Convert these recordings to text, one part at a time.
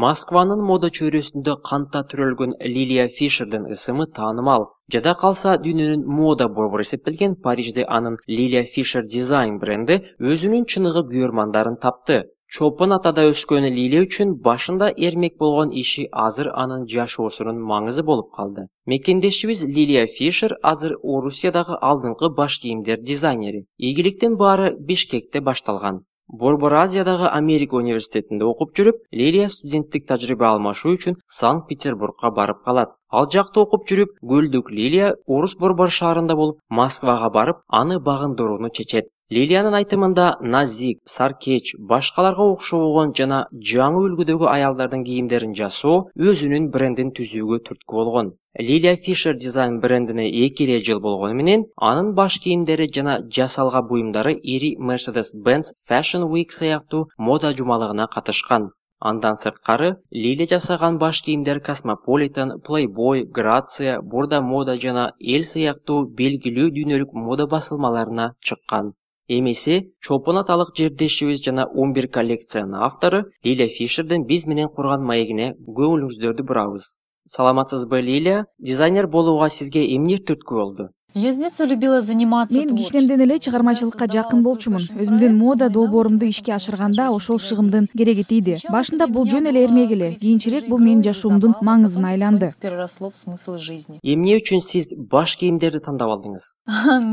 Москванын мода чөйрөсүндө канта түрөлгөн Лилия Фишердин ысымы таанымал. Жада калса дүйнөнүн мода борбору эсептелген Парижде анын Лилия Фишер дизайн бренди өзүнүн чыныгы күйөрмандарын тапты. Чолпон атада өскөн Лилия үчүн башында эрмек болгон иши азыр анын жашоосунун маңызы болуп калды. Мекендешибиз Лилия Фишер азыр Орусиядагы алдыңкы баш кийимдер дизайнери. Ийгиликтин баары Бишкекте башталган. Борбор Азиядагы Америка университетинде окуп жүрүп, Лилия студенттик тажрыйба алмашуу үчүн Санкт-Петербургга барып калат. Ал жакта окуп жүрүп, Гөлдүк Лилия Орус борбор шаарында болуп, Москвага барып, аны багындырууну чечет. Лилиянын айтымында назик, саркеч, башкаларга окшобогон жана жаңы үлгүдөгү аялдардын кийимдерин жасоо өзүнүн брендин түзүүгө түрткү болгон. Лилия Фишер дизайн брендине 2 жыл болгону менен анын баш кийимдери жана жасалга буюмдары ири Mercedes-Benz Fashion Week сыяктуу мода жумалыгына катышкан. Андан сырткары Лилия жасаган баш кийимдер Cosmopolitan, Playboy, Grazia, Бурда мода жана Эл сыяктуу белгилүү дүйнөлүк мода басылмаларына чыккан. Эмесе, Чолпон аталык жердешибиз жана 11 коллекциянын автору Лилия Фишердин биз менен курган маегине көңүлүңүздөрдү бурабыз. Саламатсызбы, Лилия? Дизайнер болууга сизге эмне түрткү болду? Я с детства любила заниматься Мен кичинемден эле чыгармачылыкка жакын болчумун. Өзүмдүн мода долбоорумду ишке ашырганда ошол шыгымдын кереги тийди. Башында бул жөн эле эрмек эле, кийинчерээк бул менин жашоомдун маңызына айланды. Переросло в смысл жизни. Эмне үчүн сиз баш кийимдерди тандап алдыңыз?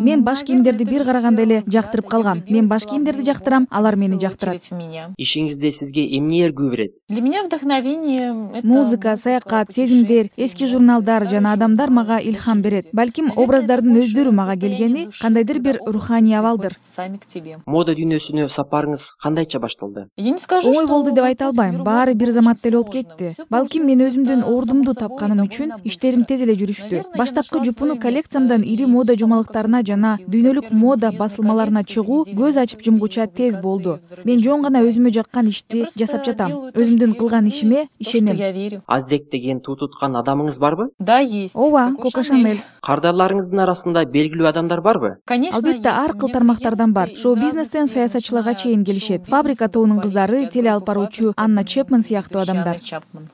Мен баш кийимдерди бир караганда эле жактырып калгам. Мен баш кийимдерди жактырам, алар мени жактырат. Ишиңизде сизге эмне эргүү берет? Для меня вдохновение это Музыка, саякат, сезимдер, эски журналдар жана адамдар мага илхам берет. Балким образдардын өздөрү мага келгени кандайдыр бир руханий абалдыр. сами к тебе. Мода дүйнөсүнө сапарыңыз кандайча башталды? Я не скажу, Оңой что болду деп айта албайм. Баары бир заматта эле болуп кетти. Балким мен өзүмдүн ордумду тапканым үчүн иштерим тез эле жүрүштү. Баштапкы жупуну коллекциямдан ири мода жумалыктарына жана дүйнөлүк мода басылмаларына чыгуу көз ачып жумгуча тез болду. Мен жөн гана өзүмө жаккан ишти жасап жатам. Өзүмдүн кылган ишиме то, что ишенем. я верю. Аздек деген туу туткан адамыңыз барбы? Да, есть. Ооба, Коко Шанель. Кардарларыңыздын арасында белгилүү адамдар барбы? Конечно, Албетте, ар кыл тармактардан бар. Шоу-бизнестен саясатчыларга чейин келишет. Фабрика тобунун кыздары, теле алып баруучу Анна Чепман сыяктуу адамдар.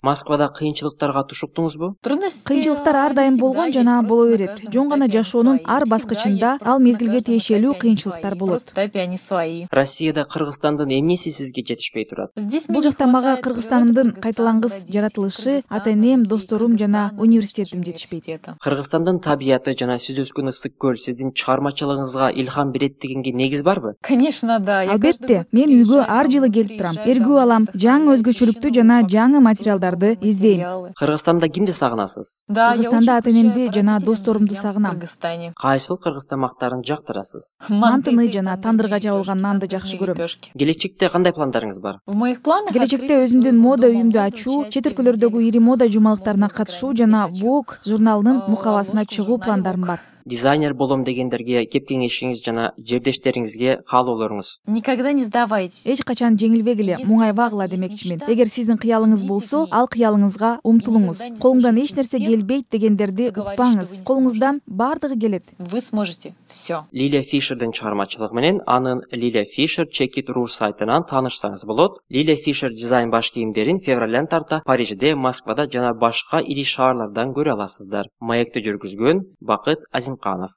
Москвада кыйынчылыктарга тушуктуңузбу? Кыйынчылыктар ар дайым болгон жана боло берет. Жөн гана жашоонун ар баскычында ал мезгилге тиешелүү кыйынчылыктар болот. Они свои. Россияда Кыргызстандын эмнеси сизге жетишпей турат? Здесь Бул жакта мага Кыргызстанымдын кайталангыс жаратылышы, ата-энем, досторум жана университетим жетишпейт. Кыргызстандын табияты жана сиз өскөн ысык көл сиздин чыгармачылыгыңызга илхам берет дегенге негиз барбы? Конечно, да. Я Албетте, мен үйгө ар жылы келип турам. Эргүү алам, жаңы өзгөчөлүктү жана жаңы материалдарды издейм. Кыргызстанда кимди сагынасыз? Да, я Кыргызстанда очень ата-энемди скучаю по жана родителям досторумду в сагынам. Кыргызстане. Кайсыл кыргыз тамактарын жактырасыз? Мантыны жана тандырга жабылган нанды жакшы көрөм. Лепешки. Келечекте кандай пландарыңыз бар? В моих планах Келечекте открыть өзүмдүн свой мода дом, үйүмдү ачуу, получать чет өлкөлөрдөгү ири мода жумалыктарына катышуу жана Получать, Vogue журналынын мукабасына чыгуу пландарым бар. Дизайнер болом дегендерге кеп кеңешиңиз жана жердештериңизге каалоолоруңуз. Никогда не сдавайтесь. Эч качан жеңилбегиле, муңайбагыла демекчимин. Эгер сиздин кыялыңыз болсо, ал кыялыңызга умтулуңуз. Колуңдан эч нерсе келбейт дегендерди укпаңыз. Колуңуздан бардыгы келет. Вы сможете все. Лилия Фишердин чыгармачылыгы менен анын Лилия Фишер Check.ru сайтынан таанышсаңыз болот. Лилия Фишер дизайн баш кийимдерин февралдан тарта Парижде, Москвада жана башка ири шаарлардан көрө аласыздар. Маекти жүргүзгөн Бакыт Азимканов.